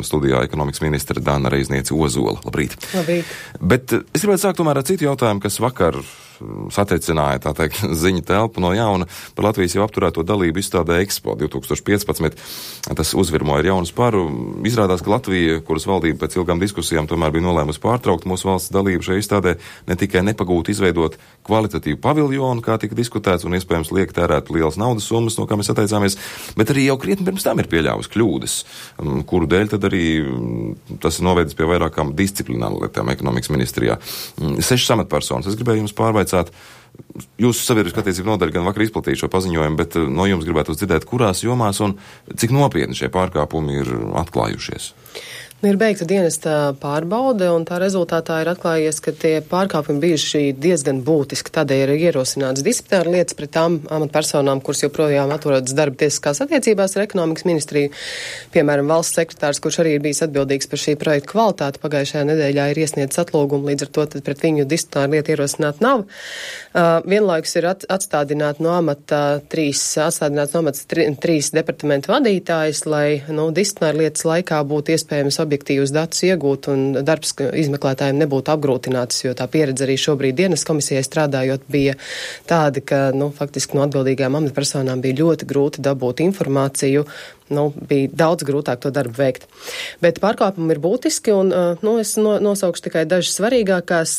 studijā ekonomikas ministra Dana Reizniece Ozola. Labrīt. Labrīt. Bet es gribētu sākt tomēr ar citu jautājumu, kas vakar satriecināja, tā teikt, ziņu telpu no jauna par Latvijas jau apturēto dalību izstādē Expo 2015. Tas uzvirmoja ar jaunu sparu. Izrādās, ka Latvija, kuras valdība pēc ilgām diskusijām tomēr bija nolēmusi pārtraukt mūsu valsts dalību šajā izstādē, ne tikai nepagūtu izveidot kvalitatīvu paviljonu, kā tika diskutēts, un iespējams liek tērēt lielas naudas summas, no kā mēs atteicāmies, bet arī jau krietni pirms tam ir pieļāvusi kļūdas, kuru dēļ tad arī tas ir novedis pie vairākām disciplināru lietām ekonomikas ministrijā. 6 amatpersonas. Es gribēju jums pārvaicāt, jūsu sabiedriskā attiecību nodaļa gan vakar izplatīja šo paziņojumu, bet no jums gribētu dzirdēt, kurās jomās un cik nopietni šie pārkāpumi ir atklājušies. Ir beigta dienesta pārbaude, un tā rezultātā ir atklājies, ka tie pārkāpumi bijuši diezgan būtiski. Tādēļ ir ierosināts disciplināra lietas pret tām amatpersonām, kuras joprojām atrodas darba tiesiskās attiecībās ar ekonomikas ministriju. Piemēram, valsts sekretārs, kurš arī ir bijis atbildīgs par šī projekta kvalitāti, pagājušajā nedēļā ir iesniedzis atlūgumu, līdz ar to tad pret viņu disciplināra lieta ierosināt nav. Vienlaikus ir atstādināts no amata trīs departamentu vadītājs, lai disciplināra lietas laikā būtu iespējams objektīvus datus iegūt un darbs izmeklētājiem nebūtu apgrūtināts, jo tā pieredze arī šobrīd dienas komisijai strādājot bija tāda, ka faktiski no atbildīgām amatpersonām bija ļoti grūti dabūt informāciju, bija daudz grūtāk to darbu veikt. Bet pārkāpumi ir būtiski, un es nosaukšu tikai dažas svarīgākās.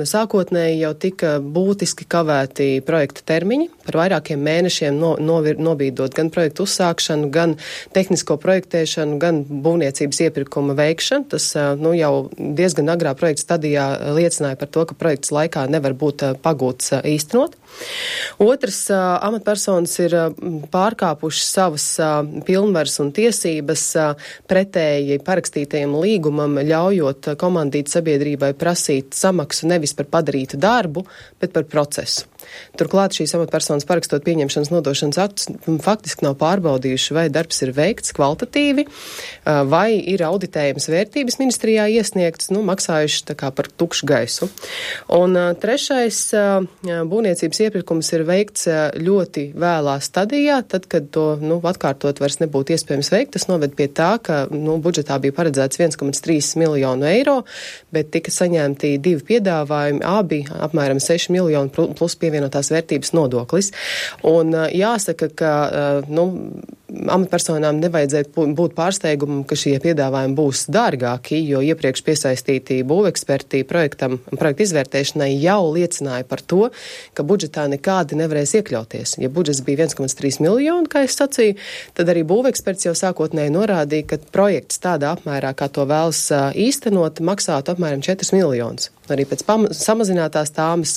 Sākotnēji jau tika būtiski kavēti projekta termiņi, par vairākiem mēnešiem nobīdot gan projektu uzsākšanu, gan tehnisko projektēšanu, gan būvniecības iepirkuma veikšanu. Tas jau diezgan agrā projekta stadijā liecināja par to, ka projekts laikā nevar būt pagūts īstenot. Otrs, amatpersonas ir pārkāpušas savas pilnvaras un tiesības pretēji parakstītajam līgumam, ļaujot komandīt sabiedrībai prasīt samaksu nevis par padarītu darbu, bet par procesu. Turklāt šīs amatpersonas parakstot pieņemšanas nodošanas aktus faktiski nav pārbaudījuši, vai darbs ir veikts kvalitatīvi, vai ir auditējums vērtības ministrijā iesniegts, maksājuši tā kā par tukšu gaisu. Un trešais, būvniecības iepirkums ir veikts ļoti vēlā stadijā, tad, kad to atkārtot vairs nebūtu iespējams veikt. Tas noved pie tā, ka budžetā bija paredzēts 1,3 miljonu eiro, bet tika saņemti 2 piedāvājumi, abi apmēram 6 miljonu plus pievienotās vērtības nodoklis. Un jāsaka, ka amatpersonām nevajadzētu būt pārsteigumam, ka šie piedāvājumi būs dārgāki, jo iepriekš piesaistītī būveksperti projekta izvērtēšanai jau liecināja par to, ka budžetā nekādi nevarēs iekļauties. Ja budžets bija 1,3 miljoni, kā es sacīju, tad arī būveksperts jau sākotnēji norādīja, ka projekts tādā apmērā, kā to vēlas īstenot, maksātu apmēram 4 miljonus. Arī pēc samazinātās tāmas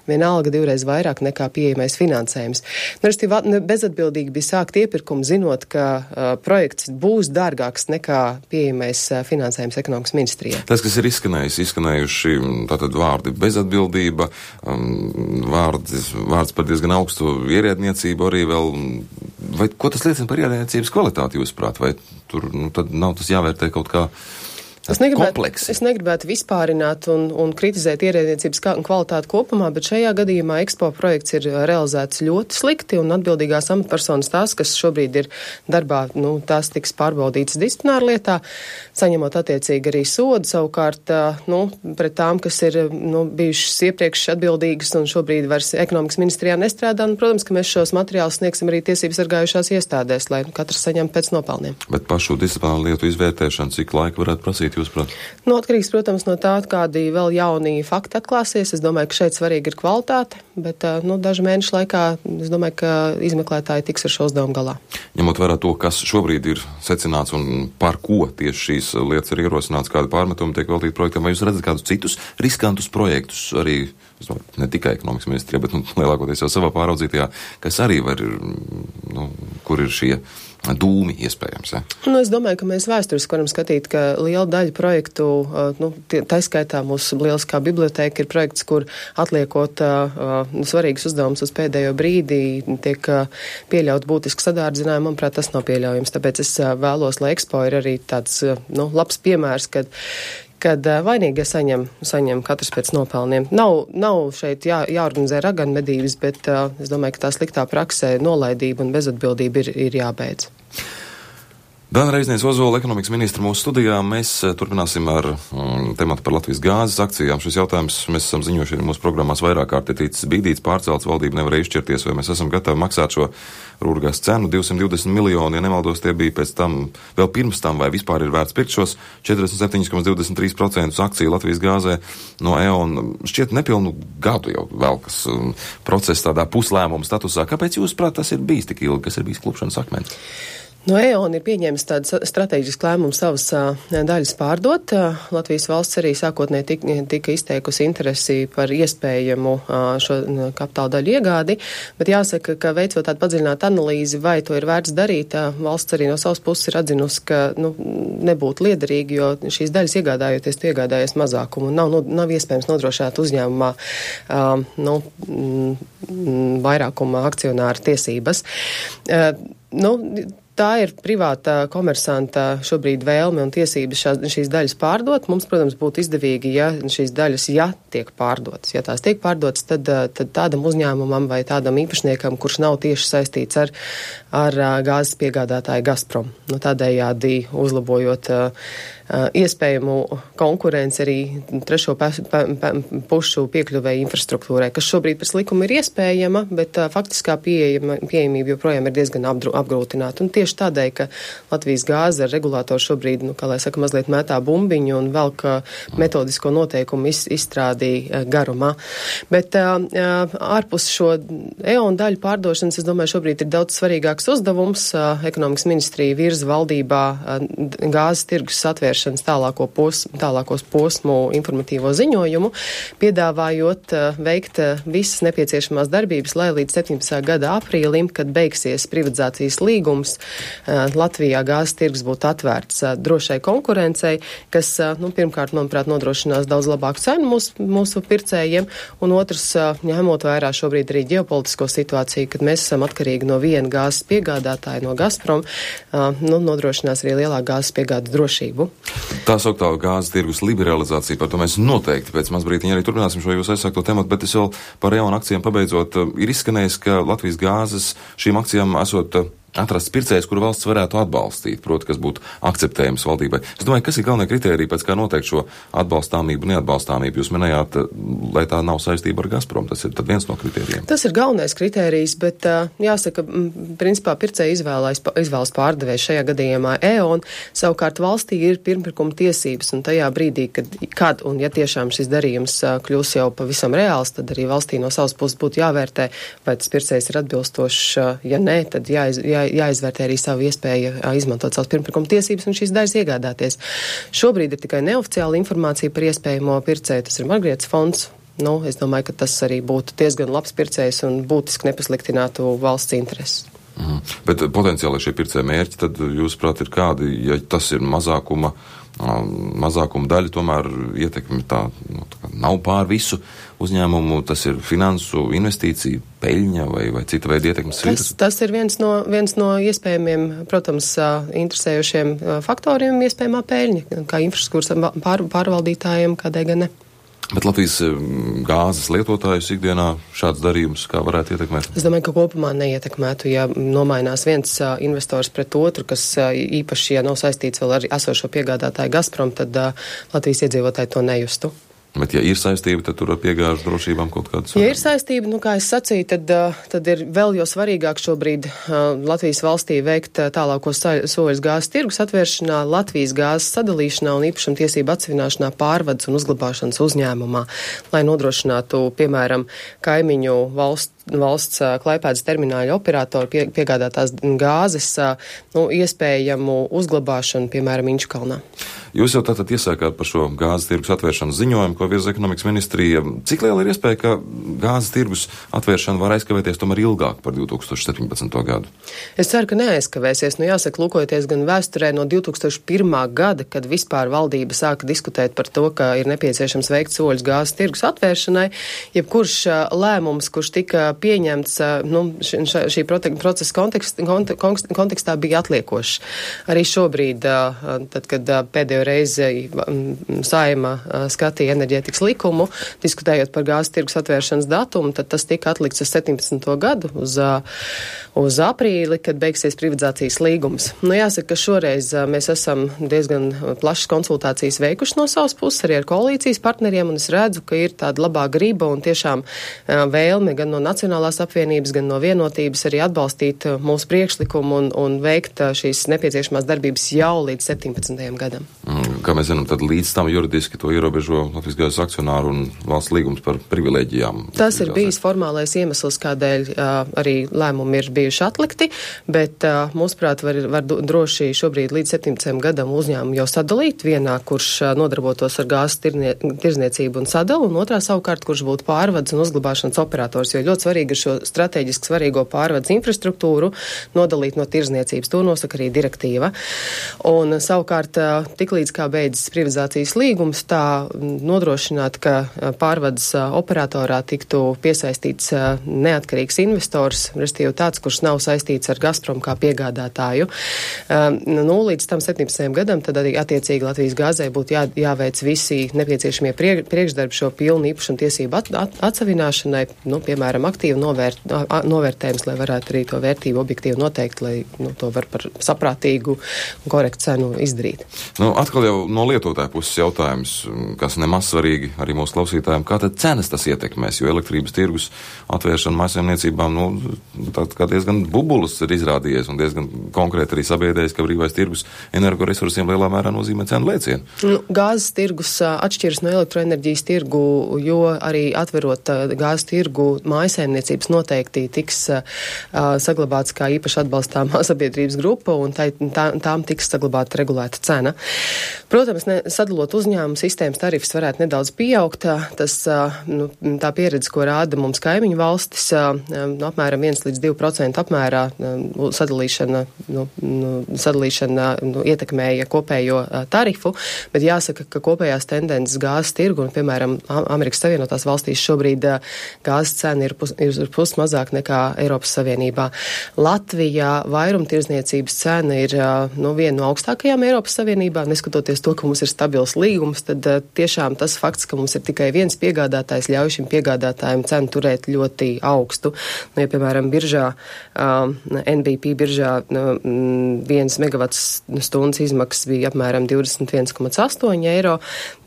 vienalga 2 reizes vairāk nekā pieejamais finansējums. Bezatbildīgi bija sākt iepirkumu, zinot, ka projekts būs dārgāks nekā pieejamais finansējums ekonomikas ministrijā. Tas, kas ir izskanējuši tātad vārdi bezatbildība, vārds par diezgan augstu ierēdniecību arī vēl, vai ko tas liecina par ierēdniecības kvalitāti, jūsuprāt, vai tur tad nav tas jāvērtē kaut kā Es negribētu vispārināt un kritizēt ierēdniecības kvalitāti kopumā, bet šajā gadījumā Expo projekts ir realizēts ļoti slikti, un atbildīgās amatpersonas tās, kas šobrīd ir darbā, tās tiks pārbaudītas disciplināra lietā, saņemot attiecīgi arī sodu, savukārt, pret tām, kas ir, bijušas iepriekš atbildīgas un šobrīd vairs ekonomikas ministrijā nestrādā, protams, ka mēs šos materiālus sniegsim arī tiesības sargājušās iestādēs, lai katrs saņem pēc nopelniem. Bet pašu disciplināru lietu izvērtēšanu, cik laika varētu prasīt? Atkarīgs, protams, no tā, kādi vēl jauni fakti atklāsies. Es domāju, ka šeit svarīgi ir kvalitāte, bet dažu mēnešu laikā es domāju, ka izmeklētāji tiks ar šo uzdevumu galā. Ņemot vērā to, kas šobrīd ir secināts un par ko tieši šīs lietas ir ierosināts, kādi pārmetumi tiek veltīti projektam, vai jūs redzat kādus citus riskantus projektus arī, ne tikai ekonomikas ministrijā, bet lielākoties jau savā pāraudzītajā, kas arī var, kur ir šie dūmi iespējams. Ja? Es domāju, ka mēs vēsturiski varam skatīt, ka liela daļa projektu, taiskaitā mūsu lieliskā bibliotēka ir projekts, kur atliekot svarīgus uzdevumus uz pēdējo brīdī, tiek pieļaut būtiski sadārdzinājumi. Manuprāt, tas nav pieļaujams. Tāpēc es vēlos, lai Expo ir arī tāds labs piemērs, kad vainīgie saņem katrs pēc nopelniem. Nav šeit jāorganizē raganmedības, bet es domāju, ka tā sliktā praksē nolaidība un bezatbildība ir jābeidz. Dana Reizniece Ozola, ekonomikas ministra mūsu studijā. Mēs turpināsim ar tematu par Latvijas gāzes akcijām. Šis jautājums mēs esam ziņojuši arī mūsu programmās vairāk kārt ir ticis bīdīts, pārcelts, valdība nevarēja izšķirties, vai mēs esam gatavi maksāt šo Rūrgāzes cenu 220 miljoni, ja nemaldos, tie bija pēc tam, vēl pirms tam, vai vispār ir vērts pirkt šos 47,23% akciju Latvijas gāzē no EON. Šķiet nepilnu gadu jau vēl, kas process tādā puslēmuma statusā. Kāpēc jūs prāt tas ir bijis tik ilgi, kas ir bijis klupšanas akmens? No EON ir pieņēmis tādu strateģisku lēmumu savas daļas pārdot. Latvijas valsts arī sākotnēji tika izteikusi interesi par iespējamu šo kapitāla daļu iegādi, bet jāsaka, ka veicot tādu padziļinātu analīzi, vai to ir vērts darīt, valsts arī no savas puses ir atzinusi, ka nebūtu liederīgi, jo šīs daļas iegādājoties, tu iegādājies mazākumu un nav iespējams nodrošināt uzņēmumā vairākuma akcionāra tiesības. Tā ir privāta komersanta šobrīd vēlme un tiesības šīs daļas pārdot. Mums, protams, būtu izdevīgi, ja šīs daļas, tiek pārdotas. Ja tās tiek pārdotas, tad tādam uzņēmumam vai tādam īpašniekam, kurš nav tieši saistīts ar gāzes piegādātāju Gazprom. Tādējādi uzlabojot iespējamu konkurenci arī trešo pušu piekļuvēja infrastruktūrai, kas šobrīd pēc likuma ir iespējama, bet faktiskā pieejamība joprojām ir diezgan apgrūtināta. Un tieši tādēļ, ka Latvijas gāze ar regulātoru šobrīd, mazliet mētā bumbiņu un velk metodisko noteikumu izstrādi garumā. Bet ārpus šo EON daļu pārdošanas, es domāju, šobrīd ir daudz svarīgāks uzdevums. Ekonomikas ministrija virza valdībā gāzes tirgus atvēršanas tālākos posmu informatīvo ziņojumu, piedāvājot veikt visas nepieciešamās darbības, lai līdz 17. gada aprīlim, kad beigsies privatizācijas līgums, Latvijā gāzes tirgus būtu atvērts drošai konkurencei, kas, pirmkārt, manuprāt, nodrošinās daudz labāku cenu mūsu pircējiem, un otrs, ņemot vērā šobrīd arī ģeopolitisko situāciju, kad mēs esam atkarīgi no viena gāzes piegādātāja, no Gazprom, nodrošinās arī lielāku gāzes piegādes drošību. Tā sauktā gāzes tirgus liberalizācija, par to mēs noteikti pēc mazbrītiņa arī turpināsim šo jūs aizsākto tematu, bet es vēl par EON akcijām pabeidzot, ir izskanējis, ka Latvijas gāzes šīm akcijām esot atrasts pircējs, kuru valsts varētu atbalstīt, proti, kas būtu akceptējams valdībai. Es domāju, kas ir galvenie kritēriji, pēc kā noteikt šo atbalstāmību, neatbalstāmību? Jūs minējāt, lai tā nav saistība ar Gazprom, tas ir tad viens no kritērijiem. Tas ir galvenais kritērijs, bet jāsaka, principā pircēji izvēlas pārdevējs šajā gadījumā EON, savukārt valstī ir pirmpirkuma tiesības, un tajā brīdī, kad un ja tiešām šis darījums kļūs jau pavisam reāls, tad arī valstī no savas puses būtu jāvērtē, vai tas pircējs ir atbilstošs, ja nē, tad jāizvērtē arī savu iespēju izmantot savas pirmpirkuma tiesības un šīs daļas iegādāties. Šobrīd ir tikai neoficiāla informācija par iespējamo pircēju, tas ir Margriets fonds. Es domāju, ka tas arī būtu diezgan labs pircējs un būtiski nepasliktinātu valsts intereses. Bet potenciāli šie pircēja mērķi, tad jūsuprāt ir kādi, ja tas ir mazākuma daļa, tomēr ietekmi tā nav pār visu uzņēmumu, tas ir finansu investīcija, peļņa vai cita veida ietekmes sviras? Tas ir viens no iespējamiem, protams, interesējošiem faktoriem, iespējamā peļņa, kā infrastruktūras pārvaldītājiem, kādai gan ne. Bet Latvijas gāzes lietotājus ikdienā šāds darījums kā varētu ietekmēt? Es domāju, ka kopumā neietekmētu, ja nomainās viens investors pret otru, kas īpaši, ja nav saistīts vēl ar esošo piegādātāju Gazprom, tad Latvijas iedzīvotāji to nejustu. Bet, ja ir saistība, tad tur ar piegāžu drošībām kaut kādas... Ja ir saistība, kā es sacīju, tad ir vēl jo svarīgāk šobrīd Latvijas valstī veikt tālākos soļus gāzes tirgus atvēršanā, Latvijas gāzes sadalīšanā un īpašumtiesību atsevināšanā pārvades un uzglabāšanas uzņēmumā, lai nodrošinātu, piemēram, kaimiņu valsts Klaipēdas termināļa operātoru piegādātās gāzes iespējamu uzglabāšanu, piemēram, Inčukalnā. Jūs jau tātad iesākāt par šo gāzes tirgus atvēršanas ziņojumu, ko virza ekonomikas ministrija. Cik liela ir iespēja, ka gāzes tirgus atvēršana var aizkavēties tomēr ilgāk par 2017. gadu? Es ceru, ka neaizkavēsies. Jāsaka, lūkojoties gan vēsturē no 2001. gada, kad vispār valdība sāka diskutēt par to, ka ir nepieciešams veikt soļus gāzes tirgus atvēršanai, jebkurš lēmums, kurš tika pieņemts, šī procesa kontekstā bija atliekošs. Arī šobrīd, tad, kad pēdējo reizi Saeima skatīja enerģētikas likumu, diskutējot par gāzes tirgus atvēršanas datumu, tad tas tika atlikts uz 17. gadu, uz aprīli, kad beigsies privatizācijas līgums. Jāsaka, ka šoreiz mēs esam diezgan plašas konsultācijas veikuši no savas puses, arī ar koalīcijas partneriem, un es redzu, ka ir tāda labā griba un tiešām vēlme gan no Nacionālās apvienības, gan no Vienotības arī atbalstīt mūsu priekšlikumu un veikt šīs nepieciešamās darbības jau līdz 17. gadam. Kā mēs zinām, tad līdz tam juridiski to ierobežo Latvijas gāzes akcionāru un valsts līgums par privilēģijām. Tas ir bijis formālais iemesls, kādēļ arī lēmumi ir bijuši atlikti, bet mūsuprāt var droši šobrīd līdz 17. gadam uzņēmumu jau sadalīt vienā, kurš nodarbotos ar gāzes tirzniecību un sadalu, un otrā savukārt, kurš būtu pārvades un uzglabāšanas operators, jo ļoti svarīgi ir šo strateģiski svarīgo pārvades infrastruktūru nodalīt no tirzniecības. To nosaka arī direktīva. Un savukārt, tiklīdz kā beidzas privatizācijas līgums, tā nodrošināt, ka pārvades operatorā tiktu piesaistīts neatkarīgs investors, respektīvi tāds, kurš nav saistīts ar Gazprom kā piegādātāju. Līdz tam 17. gadam tad arī attiecīgi Latvijas gāzei būtu jāveic visi nepieciešamie priekšdarbi šo pilnu īpašumu tiesību atsavināšanai, piemēram, aktīvu novērtējums, lai varētu arī to vērtību objektīvi noteikt, lai to var par saprātīgu un korektu cenu izdarīt. Atkal jau no lietotāja puses jautājums, kas nemaz svarīgi arī mūsu klausītājiem, kā tad cenas tas ietekmēs, jo elektrības tirgus atvēršana mājsaimniecībām, tād kā diezgan bubulis ir izrādījies un diezgan konkrēti arī sabiedrējis, ka brīvais tirgus energoresursiem lielā mērā nozīmē cenu lēcienu. Gāzes tirgus atšķiras no elektroenerģijas tirgu, jo arī atverot gāzes tirgu mājasaimniecības noteikti tiks saglabāts kā īpaši atbalstāmā sabiedrības grupa un tām tiks saglabāta regulēta cena. Protams, sadalot uzņēmumu sistēmas tarifs varētu nedaudz pieaugt. Tā pieredze, ko rāda mums kaimiņu valstis, apmēram 1-2% apmērā sadalīšana ietekmēja kopējo tarifu, bet jāsaka, ka kopējās tendences gāzes tirgu un, piemēram, Amerikas Savienotās valstīs šobrīd gāzes cena ir pus mazāk nekā Eiropas Savienībā. Latvijā vairumtirdzniecības cena ir viena no augstākajām Eiropas Savienībā, neskatoties to, ka mums ir stabils līgums, tad tiešām tas fakts, ka mums ir tikai viens piegādātājs, ļauj šim piegādātājiem cenu turēt ļoti augstu. Ja, piemēram, biržā, NBP biržā 1 megavats stundas izmaksas bija apmēram 21,8 eiro,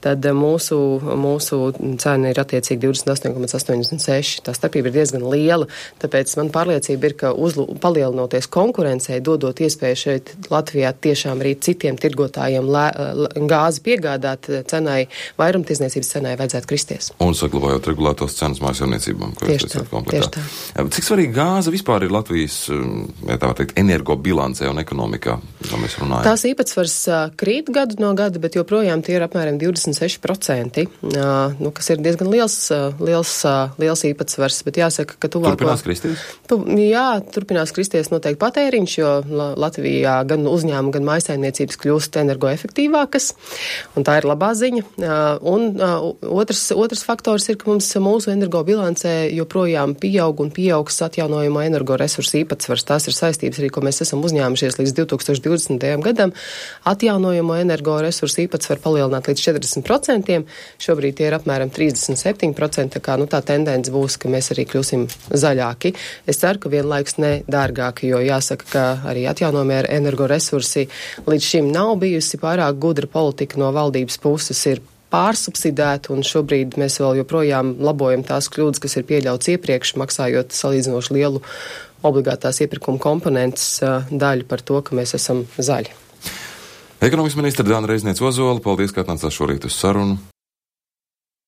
tad mūsu cena ir attiecīgi 28,86. Tā starpība ir diezgan liela, tāpēc man pārliecība ir, ka palielinoties konkurencei, dodot iespēju šeit Latvijā tiešām arī citiem tirgotājiem gāzi piegādāt cenai, vairumtirdzniecības cenai vajadzētu kristies. Un saglabājot regulētos cenas mājsaimniecībām, ko jūs teicāt komplektā. Cik svarīgi gāze vispār ir Latvijas, ja tā var teikt, energobilancē un ekonomikā, kā mēs runājam? Tās īpatsvars krīt gadu no gada, bet joprojām tie ir apmēram 26%, kas ir diezgan liels īpatsvars, bet jāsaka, ka tuvāko... Turpinās kristies? Jā, turpinās kristies noteikti patēriņš, jo Latvijā gan uzņēmumi, gan mājsaimniecības kļūst energoefektīvākas, un tā ir labā ziņa. Un otrs faktors ir, ka mūsu energobilancē joprojām pieaugs atjaunojamo energoresursu īpatsvars. Tās ir saistības arī, ko mēs esam uzņēmušies līdz 2020. gadam. Atjaunojamo energoresursu īpatsvaru palielināt līdz 40%. Šobrīd tie ir apmēram 37%, tā tendence būs, ka mēs arī kļūsim zaļāki. Es ceru, ka vienlaiks ne dārgāki, jo jāsaka, ka arī atjaunojamie energoresursi līdz šim nav bijusi pārāk gudra politika no valdības puses, ir pārsubsidēta, un šobrīd mēs vēl joprojām labojam tās kļūdas, kas ir pieļauts iepriekš, maksājot salīdzinoši lielu obligātās iepirkuma komponentes daļu par to, ka mēs esam zaļi. Ekonomikas ministra Dāna Reizniece Ozola, paldies, ka atnācāt šorīt uz sarunu.